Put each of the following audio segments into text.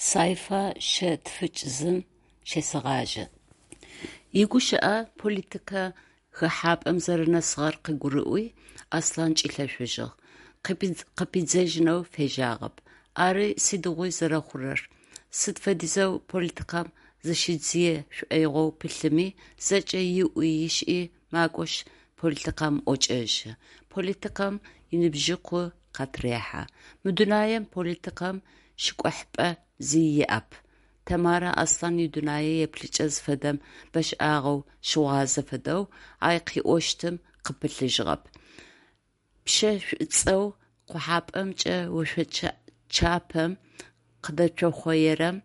Сайфа шъэ тфыкӏ зым щесэгъажьэ. Игущыӏэ политикэ хэхьапӏэм зэрэнэсыгъэр къыгурыӏуи, Аслъан кӏилъэшъужьыгъ, къыпидзэжьынэу фежьагъэп. Ары сыдигъуи зэрэхъурэр, сыд фэдизэу политикэм зыщидзые шӏоигъоу пылъми, зэкӏэ иӏуи ишӏи макӏошъ политикэм ӏокӏэжьы, политикэм иныбжьыкъу къатырехьэ. Мы дунаем политикэм щыкӏохьыпӏэ зи иӏэп. Тэмарэ Аслъан идунэе еплъыкӏэ зыфэдэм бэшӏагъэу щыгъуазэ фэдэу, ай къыӏощтым къыпылъыжьыгъэп. Пщэ шӏуцӏэу къохьапӏэмкӏэ ошъочапэм къыдэцохъоерэм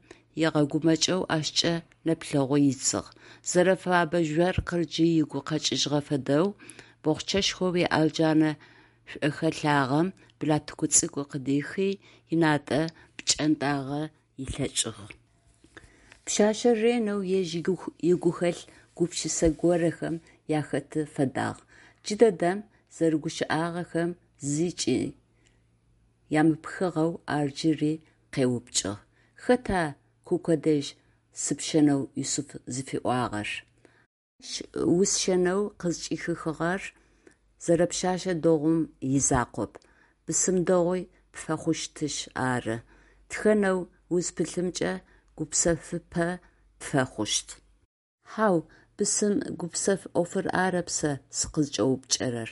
ыгъэгумэкӏэу ащкӏэ нэплъэгъу ыдзыгъ. Зэрэфэбэ жъоркъыр джы ыгу къэкӏыжьыгъэ фэдэу, бохъчэшхоу иӏэлджанэ шӏохэлъагъэм блатыку цӏыкӏу къыдихи, ынатӏэ пкӏэнтӏагъэ ылъэкӏыгъ. Пшъашъэр ренэу ежь игухэлъ гупшысэ горэхэм ахэты фэдагъ. Джыдэдэм зэрыгущыӏагъэхэм зыкӏи ямыпхыгъэу ар джыри къеупчӏыгъ: «Хэта Куко дэжь сыпщэнэу Юсыф зыфиӏуагъэр?» Ащ усщэнэу къызкӏыхихыгъэр зэрэпшъэшъэ дэгъум изакъоп, бысым дэгъуи пфэхъущтышъ ары. Тхэнэу узпылъымкӏэ гупсэфыпӏэ пфэхъущт. Хьау, бысым гупсэф ӏофыр арэп сэ сыкъызкӏэупчӏэрэр.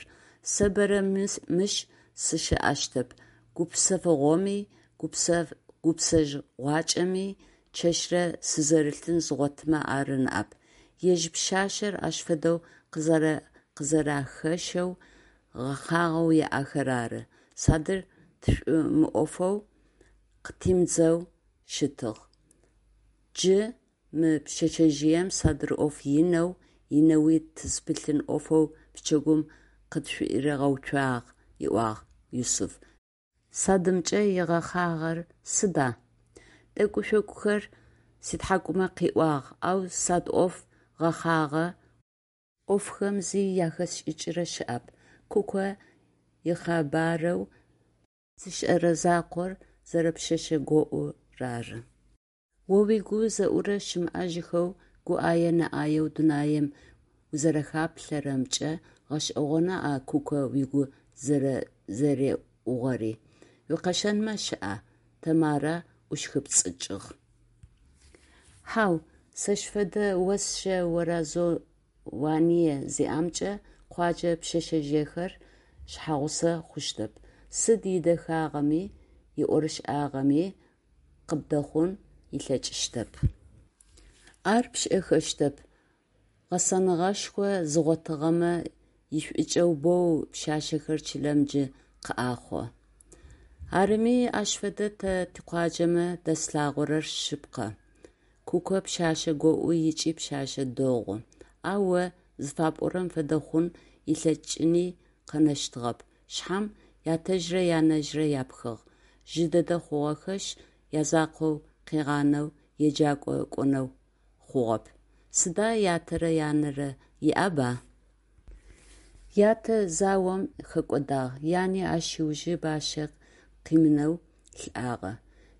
Сэ бэрэ мыщ сыщыӏэщтэп, гупсэфыгъоми, гупсэжьыгъуакӏэми чэщрэ сызэрылъын згъотымэ ары ныӏэп. Ежь пшъашъэр ащ фэдэу къызэрэхэщэу гъэхъагъэу иӏэхэр ары. Садыр тшӏомыӏофэу, къытимыдзэу щытыгъ. Джы мы пшъэшъэжъыем садыр ӏоф инэу, инэуи тызпылъын ӏофэу пчэгум къытшӏуыригъэуцуагъ, ыӏуагъ Юсыф. Садымкӏэ игъэхъагъэр сыда? Тӏэкӏу-шъокӏухэр ситхьакӏумэ къиӏуагъ, ау сад ӏоф, гъэхъагъэ ӏофхэм зи яхэсшӏыкӏырэ щыӏэп. Куко икъэбарэу зышӏэрэ закъор зэрэпшъэшъэ гоӏур ары. О уигу зэӏурэ щымыӏэжьыхэу, гу ӏае нэ ӏаеу дунаим узэрэхаплъэрэмкӏэ гъэшӏэгъоны а Куко угу зэреӏугъэри. Уикъэщэнмэ щыӏа? Тэмарэ ӏущхыпцӏыкӏыгъ. Хьау, сэщ фэдэ осшэ оразование зиӏэмкӏэ къуаджэ пшъэшъэжъыехэр шъхьагъусэ хъущтэп. Сыд идэхагъэми, иӏорышӏагъэми къыбдэхъун ылъэкӏыщтэп. Ар пшӏэхэщтэп. Гъэсэныгъэшхо зыгъотыгъэмэ ишӏукӏэу боу пшъашъэхэр чылэм джы къыӏахъо. Арыми, ащ фэдэ тэ тикъуаджэмэ дэслъагъорэр шъыпкъэ. Куко пшъашъэ гоӏу ыкӏи пшъашъэ дэгъу. Ау о зыфапӏорэм фэдэ хъун ылъэкӏыни къэнэщтыгъэп. Шъхьам ятэжърэ янэжърэ япхыгъ, жъы дэдэ хъугъэхэшъ, язакъоу къыгъанэу еджакӏо кӏонэу хъугъэп. Сыда ятэрэ янэрэ иӏэба? Ятэ заом хэкӏодагъ, яни ащ ыужы бащэ къимынэу лӏагъэ.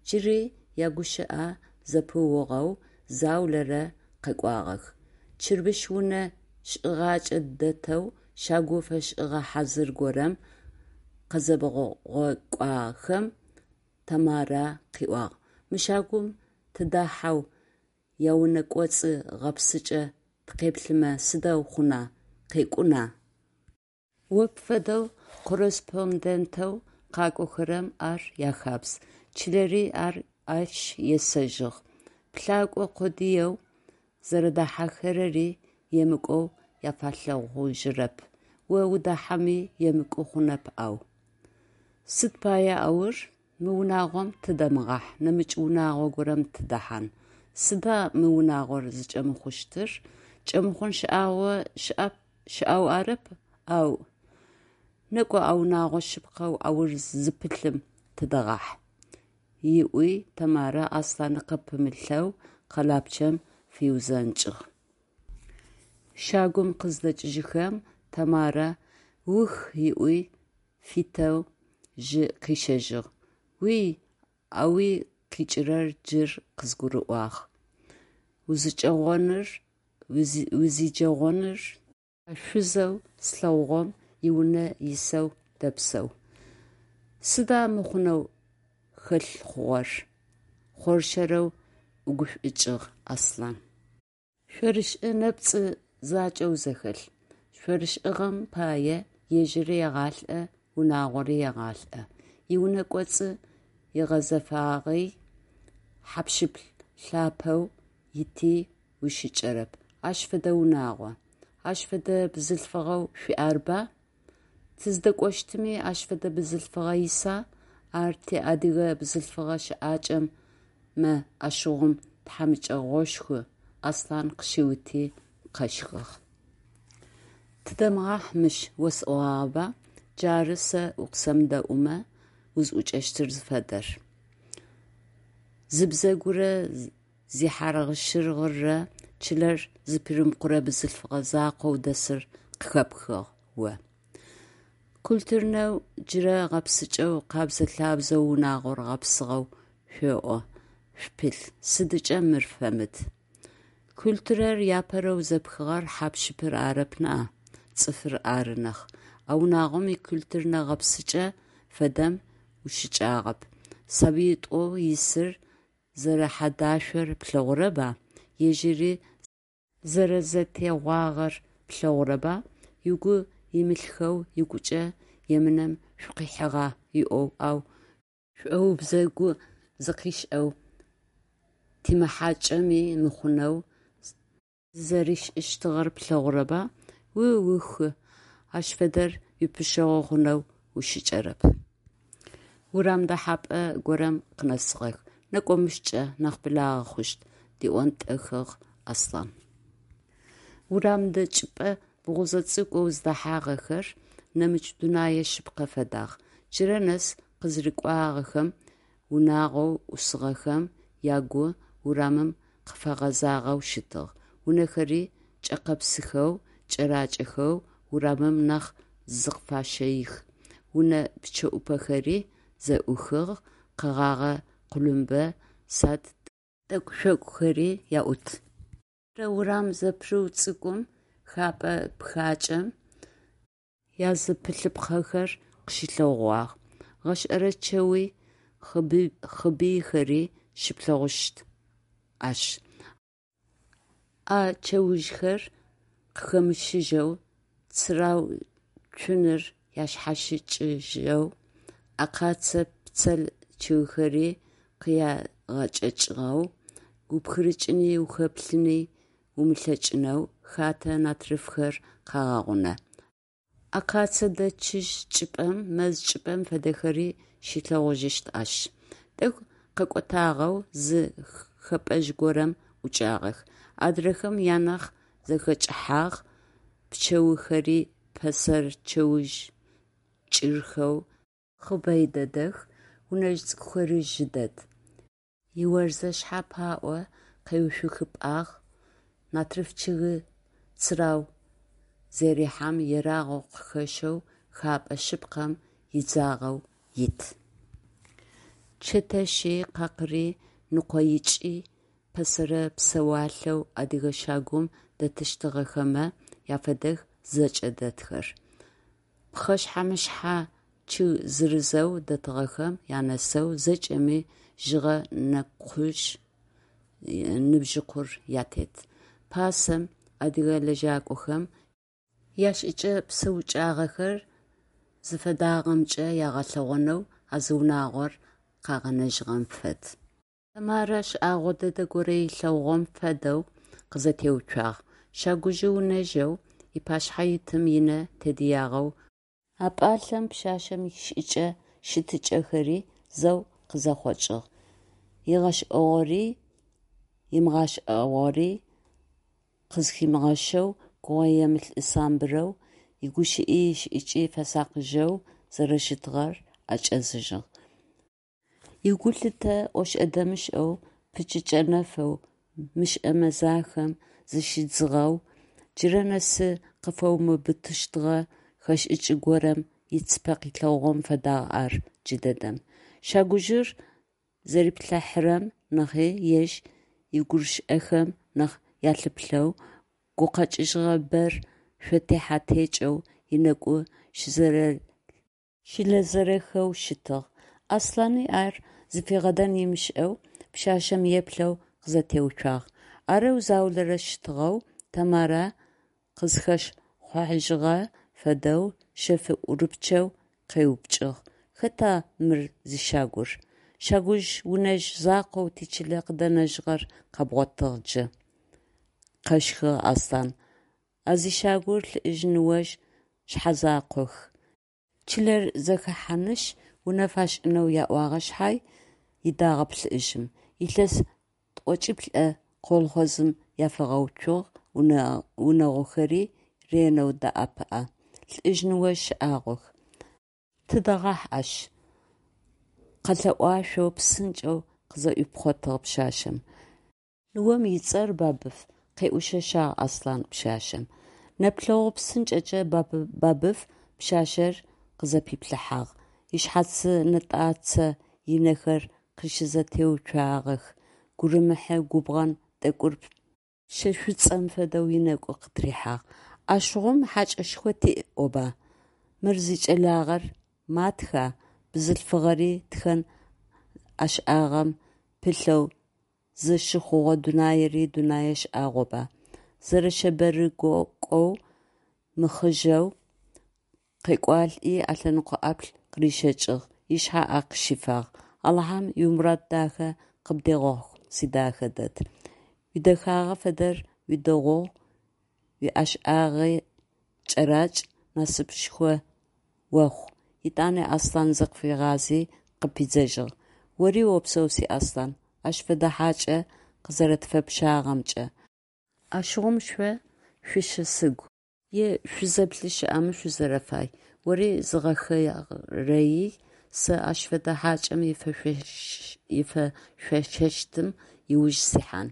Джыри ягущыӏэ зэпыугъэу заулэрэ къэкӏуагъэх. Чырбыщ унэ шӏыгъакӏэ дэтэу щагу фэшӏыгъэ хьазыр горэм къызебгъукӏохэм, Тэмарэ къыӏуагъ: «Мы щагум тыдахьэу яунэкӏоцӏы гъэпсыкӏэ тыкъеплъымэ сыдэу хъуна, къекӏуна?». О пфэдэу корреспондентэу къакӏохэрэм ар яхабз, чылэри ащ есэжьыгъ, плъакӏо къодыеу зэрэдахьэхэрэри емыкӏоу афэлъэгъужьырэп, о удахьэми емыкӏу хъунэп, ау. Сыд пае аур? Мы унагъом тыдэмыгъахь, нэмыкӏ унагъо горэм тыдэхьан. Сыда мы унагъор зыкӏэмыхъущтыр? Кӏэмыхъун щыӏэу арэп, ау… Некӏо а унэгъо шъыпкъэу аур зыпылъым тыдэгъахь, – ыӏуи Тэмарэ Аслъанэ къыпымылъэу къэлапчъэм фиузэнкӏыгъ. Щагум къыздэкӏыжьыхэм, Тэмарэ «Ух!» ыӏуи фитэу жьы къищэжьыгъ. Уи, ауи къикӏырэр джы къызгурыӏуагъ. Узиджэгъоныр а шъузэу слъэгъугъэм иунэ исэу дэпсэу. Сыда мыхъунэу хэлъ хъугъэр? Хъоршэрэу ӏугушӏукӏыгъ Аслъан. Шъорышӏы нэпцӏы закӏэу зэхэлъ. Шъорышӏыгъэм пае ежьыри егъалӏэ, унагъори егъалӏэ. Иунэ кӏоцӏы игъэзэфагъи, хьап-щып лъапӏэу ити ущыкӏэрэп. Ащ фэдэ унагъо. Ащ фэдэ бзылъфыгъэу шъуиӏэрба? Тыздэкӏощтыми ащ фэдэ бзылъфыгъэ иса? Ар тиадыгэ бзылъфыгъэ щыӏакӏэмэ ащыгъум тхьамыкӏэгъошху, Аслъан къыщиути, къэщхыгъ. Тыдэмыгъахь мыщ осӏогъагъэба? Джары сэ укъысэмыдэӏумэ узӏукӏэщтыр зыфэдэр. Зыбзэгурэ зихьаргъыщыргъырэ чылэр зыпыримыкъурэ бзылъфыгъэ закъоу дэсыр къыхэпхыгъ о. Культурнэу, джырэ гъэпсыкӏэу, къэбзэ-лъабзэу унагъор гъэпсыгъэу шъоӏо, шъупылъ, сыдыкӏэ мыр фэмыд? Культурэр апэрэу зэпхыгъэр хьап-щыпыр арэп ныӏа, цӏыфыр ары нахь. А унагъом икультурнэ гъэпсыкӏэ фэдэм ущыкӏагъэп. Сабыитӏоу исыр зэрэхьэдашъор плъэгъурэба, ежьыри зэрэзэтегъуагъэр плъэгъурэба, угу имылъхэу ыгукӏэ емынэм шъукъихьагъа ыӏоу, ау шӏоубзэгу зыкъишӏэу, тимыхьакӏэми мыхъунэу зызэришӏыщтыгъэр плъэгъурэба? У-уху, ащ фэдэр уипшъэшъэгъу хъунэу ущыкӏэрэп. Урам дэхьапӏэ горэм къынэсыгъэх. Некӏо мыщкӏэ, нахь благъэ хъущт, – диӏонтӏэхыгъ Аслъан. Урам дэкӏыпӏэ бгъузэ цӏыкӏоу зыдэхьагъэхэр нэмыкӏ дунэе шъыпкъэ фэдагъ. Джырэ нэс къызрыкӏуагъэхэм унагъоу ӏусыгъэхэм ягу урамым къыфэгъэзагъэу щытыгъ. Унэхэри кӏэкъэпсыхэу, кӏэракӏэхэу урамым нахь зыкъыфащэих, унэ пчъэӏупэхэри зэӏухыгъ, къэгъагъэ къулумбэ сад тӏэкӏу-шъокӏухэри аӏут. Мыдрэ урам зэпырыу цӏыкӏум хэпӏэ пхъакӏэм языпылъыпхъэхэр къыщылъэгъуагъ. Гъэшӏэрэ чэуи, хъыбыйхэри щыплъэгъущт ащ. А чэужъхэр къыхэмыщыжьэу, цырау цуныр ашъхьащыкӏыжьэу, акъацэ пцел чъыгхэри къягъэкӏэкӏыгъэу, упхырыкӏыни ухэплъыни умылъэкӏынэу хатэ натрыфхэр къагъэгъунэ. Акъацэ дэчыжь чӏыпӏэм, мэз чӏыпӏэм фэдэхэри щилъэгъужьыщт ащ. Тӏэкӏу къэкӏотагъэу зы хэпӏэжъ горэм ӏукӏагъэх. Адрэхэм анахь зэхэкӏыхьагъ, пчэухэри пэсэрэ чэужъ кӏырхэу хъыбэй дэдэх, унэжъ цӏыкӏухэри жъы дэд. Иорзэшъхьэ паӏо къеуцухыпӏагъ, натрыф чъыг цырау зэрихьэм ерагъэу къыхэщэу хапӏэ шъыпкъэм идзагъэу ит. Чэтэщи, къакъыри ныкъоикӏи, пэсэрэ псэуалъэу адыгэ щагум дэтыщтыгъэхэмэ афэдэх зэкӏэ дэтхэр. Пхъэшъхьэ-мышъхьэ чъыг зырызэу дэтыгъэхэм анэсэу зэкӏэми жъыгъэ нэкъужъ ныбжьыкъур атет. Пасэм адыгэ лэжьакӏохэм ящыӏэкӏэ-псэукӏагъэхэр зыфэдагъэмкӏэ ягъэлъэгъонэу а зы унагъор къагъэнэжьыгъэм фэд. Тэмарэ шӏагъо дэдэ горэ ылъэгъугъэм фэдэу къызэтеуцуагъ. Щагужъы унэжъэу ыпашъхьэ итым ынэ тедыягъэу А пӏалъэм пшъашъэм ишӏыкӏэ-щытыкӏэхэри зэу къызэхъокӏыгъ, ыгъэшӏагъори ымыгъэшӏагъори къызхимыгъэщэу, гугъуемылӏ-самбырэу, игущыӏи ишӏыкӏи фэсакъыжьэу зэрэщытыгъэр ӏэкӏэзыжьыгъ. Игулъытэ ошӏэ-дэмышӏэу пычыкӏэ нэфэу мышӏэ мэзахэм зыщидзыгъэу, джырэ нэсы къыфэумыбытыщтыгъэ хэшӏыкӏ горэм ыцыпэ къылъэгъугъэм фэдагъ ар джыдэдэм. Щагужъыр. Зэриплъыхьэрэм нахьи ежь игурышэхэм нахь ялъыплъэу, гукъэкӏыжьыгъэ бэр шъотехьэ-текӏэу ынэгу щылэзэрэхэу щытыгъ. Аслъани ар зыфигъэдэн ымышӏэу пшъашъэм еплъэу къызэтеуцуагъ. Арэу заулэрэ щытыгъэу, Тэмарэ къызхэхъожьыгъэ фэдэу шъэф ӏурыпчъэу къеупчӏыгъ: «Хэта мыр зищагур? Щагужъ-унэжъ закъоу тичылэ къыдэнэжьыгъэр къэбгъотыгъ джы», – къэщхыгъ Аслъан. «А зищагур лӏыжъ-ныожъ шъхьэзакъох. Чылэр зэхэхьанышъ, унэ фашӏынэу яӏуагъэ шъхьай, ыдагъэп лӏыжъым. Илъэс тӏокӏиплӏэ колхозым яфигъэуцугъ, унагъохэри ренэу дэӏэпыӏэ. Лӏыжъ-ныожъ шӏагъох. Тыдэгъахь ащ! – къэлъэӏуашъоу псынкӏэу къызӏуипхъотыгъ пшъашъэм. Ныом ыцӏэр Бабыф, – къеӏушъэшъагъ Аслъан пшъашъэм. Нэплъэгъу псынкӏэкӏэ Бабыф пшъашъэр къызэпиплъыхьагъ, ышъхьацы нэтӏацэ ынэхэр къыщызэтеуцуагъэх, гурымыхьы губгъэн тӏэкӏур пщэ шӏуцӏэм фэдэу ынэгу къытырихьагъ. Ащыгъум хьакӏэшхо тиӏ ӏоба. Мыр зикӏэлагъэр матха, бзылъфыгъэри тхэн ӏэшӏагъэм пылъэу зыщыхъугъэ дунаири дунэе шӏагъоба, зэрэшъэбэрыкӏоу, мыхъыжъэу къекӏуалӏи ылъэныкъо ӏаплӏ къырищэкӏыгъ, ышъхьэ ӏэ къыщифагъ: «Алахьэм уимурад дахэ къыбдегъэхъу, сидэхэ дэд. Уидэхагъэ фэдэр уидэгъугъ, уиӏэшӏагъи кӏэракӏ, насыпышӏо охъу», – етӏани Аслъан зыкъыфигъази къыпидзэжьыгъ: «Ори опсэу, си Аслъан, ащ фэдэ хьакӏэ къызэрэтфэпщагъэмкӏэ. Ащыгъум шъо шъущысыгу е шъузэплъы щыӏэмэ шъузэрэфай, ори зыгъэхэгъэрэий, сэ ащ фэдэ хьакӏэм ифэшъошэщтым ыуж сихьан.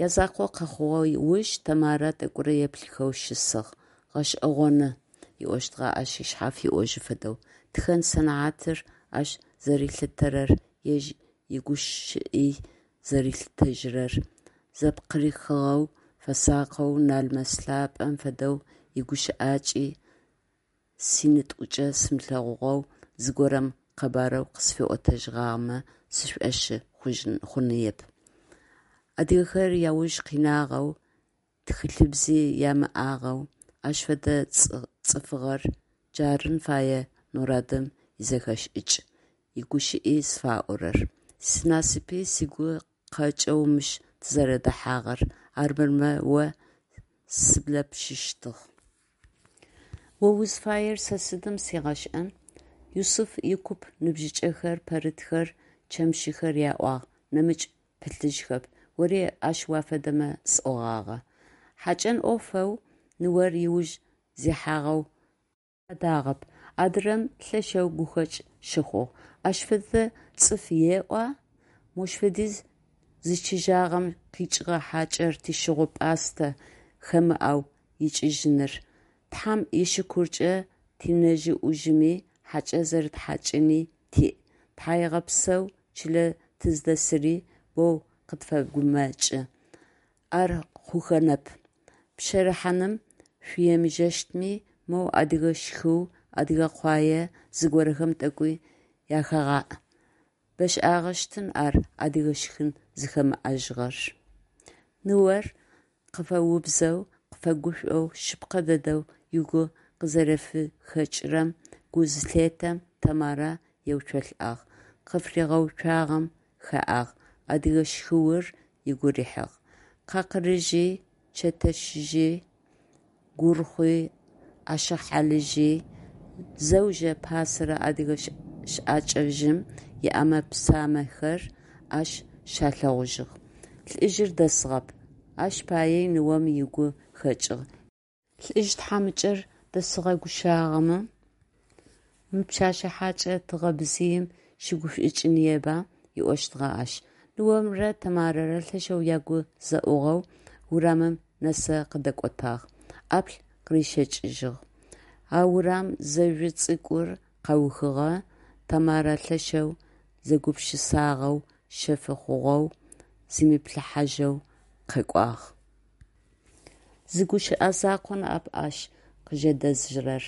Язакъоу къэхъугъэ уж Тэмарэ тӏэкӏурэ еплъыхэу щысыгъ. «Гъэшӏэгъоны, – ыӏощтыгъэ ащ ышъхьэ фиӏожьы фэдэу, – тхэн сэнэхьатыр ащ зэрилъытэрэр, ежь игущыӏи зэрилъытэжьырэр, зэпкъырыхыгъэу, фэсакъэу, налмэс лъапӏэм фэдэу игущыӏакӏи синитӏукӏэ сымылъэгъугъэу зыгорэм къэбарэу къысфиӏотэжьыгъагъэмэ сшӏошъы хъуныеп. Адыгэхэр яуж къинагъэу, тхылъыбзи ямыӏагъэу, ащ фэдэ цӏыфыгъэр, джарын фае народым изэхэшӏыкӏ, игущыӏи зыфаӏорэр. Синасыпи сыгу къэкӏэу мыщ тызэрэдэхьагъэр, армырмэ о сыблэпшыщтыгъ. О узыфаер сэ сыдым сигъэшӏэн. Юсыф икуп ныбжьыкӏэхэр, пэрытхэр, чэмыщхэр яӏуагъ, нэмыкӏ пылъыжьхэп, ори ащ уафэдэмэ сӏогъагъэ. Хьакӏэн ӏофэу ныор ыуж зихьагъэу фадагъэп, адырэм лъэшэу гухэкӏ щыхъугъ: «Ащ фэдэ цӏыф еӏуа, мощ фэдиз зичыжьагъэм къикӏыгъэ хьакӏэр тищыгъу-пӏастэ хэмыӏэу икӏыжьыныр, Тхьэм ишыкуркӏэ тинэжъ-ӏужъыми хьакӏэ зэрытхьакӏыни тиӏ, тхьаегъэпсэу чылэ тыздэсыри боу къытфэгумэкӏы, ар хъухэнэп, пщэрыхьаным шъуемыжэщтми, моу адыгэ щхыу, адыгэ къуае зыгорэхэм тӏэкӏуи яхэгъаӏ, бэшӏагъэщтын ар адыгэ шхын зыхэмыӏэжьыгъэр». Ныор къыфэубзэу, къыфэгушӏоу, шъыпкъэ дэдэу ыгу къызэрэфыхэкӏырэм гу зылъетэм, Тэмарэ еуцолӏагъ, къыфыригъэуцуагъэм хэӏагъ, адыгэ щхыур ыгу рихьыгъ. Къакъырыжъи, чэтэщыжъи, гурхъуи, ашъхьалыжъи – зэужэ пасэрэ адыгэ щыӏэкӏэжъым иӏэмэ-псамэхэр ащ щалъэгъужьыгъ. Лӏыжъыр дэсыгъэп, ащ пае ныом ыгу хэкӏыгъ: «Лӏыжъ тхьамыкӏэр дэсыгъэгущагъэмэ, мы пшъэшъэ хьакӏэ тыгъэбзыим щыгушӏукӏыныеба», – ыӏощтыгъэ ащ. Ныомрэ Тэмарэрэ лъэшэу ягу зэӏугъэу урамым нэсэ къыдэкӏотагъ, ӏаплӏ къырищэкӏыжьыгъ. А урам зэжъу цӏыкӏур къаухыгъэ, Тэмарэ лъэшэу зэгупшысагъэу, шъэфы хъугъэу, зимыплъыхьажьэу къэкӏуагъ. Зы гущыӏэ закъу ныӏэп ащ къыжэдэзырэр: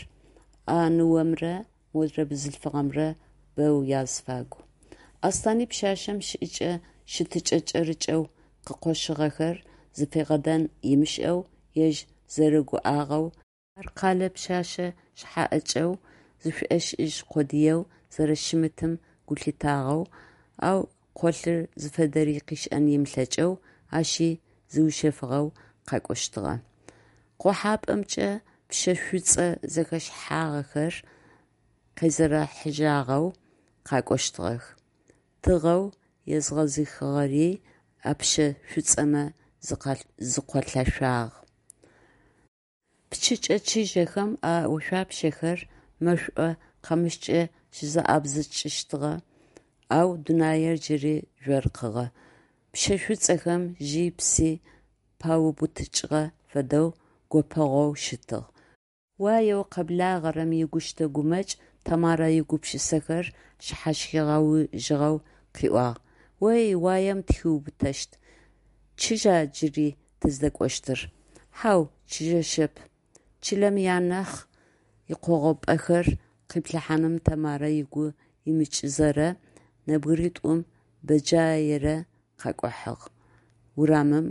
а ныомрэ модрэ бзылъфыгъэмрэ бэу азыфагу. Аслъани пшъашъэм щыӏэкӏэ-щытыкӏэ кӏэрыкӏэу къыкъощыгъэхэр зыфигъэдэн ымышӏэу, ежь зэрэгугъагъэу, ар къэлэ пшъэшъэ шъхьаӏыкӏэу зышӏошӏыжь къодыеу зэрэщымытым гу лъитагъэу, ау къолъыр зыфэдэри къышӏэн ымылъэкӏэу, ащи зиушъэфыгъэу къакӏощтыгъэ. Къохьапӏэмкӏэ пщэ шӏуцӏэ зэхэщхагъэхэр къезэрэхьыжьагъэу къакӏощтыгъэх, тыгъэу езгъэзыхыгъэри а пщэ шӏуцӏэмэ зыкъуалъэшъуагъ. Пчыкӏэ чыжьэхэм а ошъуапщэхэр мэшӏо къамыщкӏэ щызэӏабзыкӏыщтыгъэ, ау дунаир джыри жъоркъыгъэ. Пщэ шӏуцӏэхэм жьи пси паубытыкӏыгъэ фэдэу гопэгъоу щытыгъ. Уаеу къэблагъэрэм игущтэ-гумэкӏ Тэмарэ игупшысэхэр шъхьащигъэужьыгъэу къыӏуагъ: «Ой, уаем тыхиубытэщт. Чыжьа джыри тыздэкӏощтыр? – Хьау, чыжьэщтэп. Чылэм ианахь икъогъупӏэхэр къиплъыхьаным Тэмарэ ыгу имыкӏызэрэ нэбгыритӏум бэджаерэ къакӏухьагъ, урамым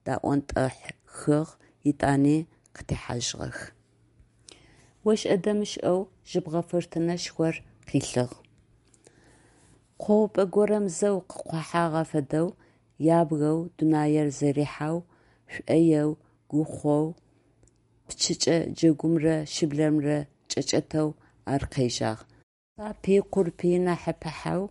даӏонтӏэхыгъ, етӏани къытехьажьыгъэх. ОшӀэ-дэмышӀэу жьыбгъэ фыртынэшхор къилъыгъ. Къогъупӏэ горэм зэу къыкъохьагъэ фэдэу, ябгэу, дунаир зэрихьэу, шӏоеу, гохъоу, пчыкӏэ джэгумрэ шыблэмрэ кӏэкӏэтэу ар къежьагъ. Сапи къурпи нахь ыпыхьэу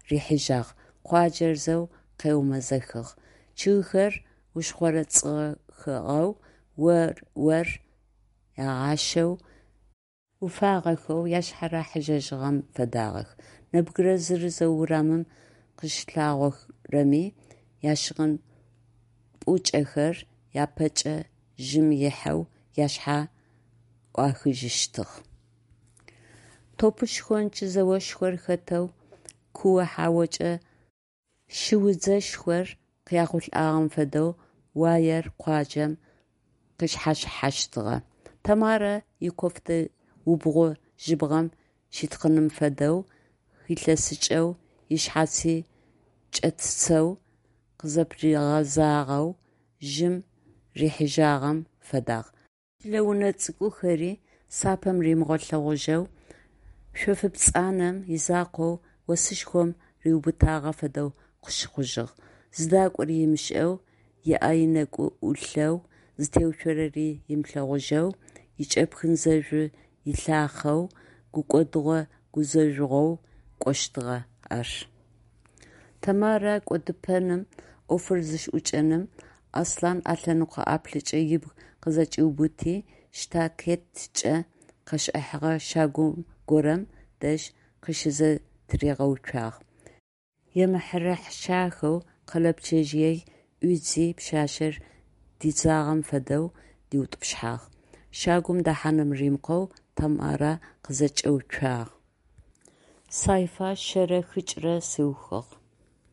рихьыжьагъ, къуаджэр зэу къеумэзэхыгъ. Чъыгхэр ушхъорэцӏыгъэхэу, ор агъащэу, уфагъэхэу ашъхьэ рахьыжьэжьыгъэм фэдагъэх. Нэбгырэ зырызэу урамым къыщылъагъорэми ящыгъын пӏукӏэхэр япэкӏэ жьым ыхьэу ашъхьэ ӏуахыжьыщтыгъ. Топы-шхонч зэошхор хэтэу, куо-хьаокӏэ шыудзэшхор къяхъулӏагъэм фэдэу уаер къуаджэм къышъхьащыхьэщтыгъэ. Тэмарэ икофтэ убгъу жьыбгъэм щитхъыным фэдэу хилъэсыкӏэу, ышъхьаци кӏэтцэу къызэпыригъэзагъэу, жьым рихьыжьагъэм фэдагъ. Чылэ унэ цӏыкӏухэри сапэм римыгъэлъэгъужьэу, шъофы пцӏанэм изакъоу осышхом риубытагъэ фэдэу къыщыхъужьыгъ. Зыдакӏори ымышӏэу, ыӏэ ынэкӏу ӏулъэу, зытеуцорэри ымылъэгъужьэу, икӏэпхын зэжъу илъахъэу, гукӏодыгъо-гузэжъугъоу кӏощтыгъэ ар. Тэмарэ кӏодыпэным, ӏофыр зыщыӏукӏэным Аслъан ӏэлъэныкъо ӏаплӏыкӏэ ыбг къызэкӏиубыти, штакеткӏэ къэшӏыхьэгъэ щагу горэм дэжь къыщызэтыригъэуцуагъ. Емыхьырэхьышахэу къэлэпчъэжъыер ӏуидзи, пшъашъэр дидзагъэм фэдэу диутӏупщхьагъ. Щагум дэхьаным римыкъоу Тэмарэ къызэкӏэуцуагъ. Сайфа шъэрэ хыкӏрэ сыухыгъ.